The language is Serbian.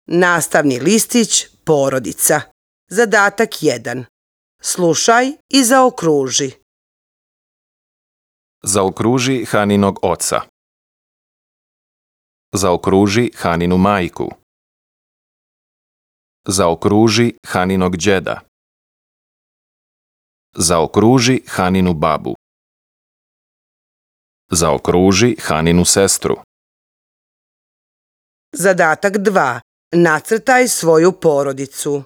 Nastavni listić porodica. Zadatak 1. Slušaj i zaokruži. Zaokruži Haninog oca. Zaokruži Haninu majku. Zaokruži Haninog đeda. Zaokruži Haninu babu. Zaokruži Haninu sestru. Zadatak 2. Nacrtaj svoju porodicu.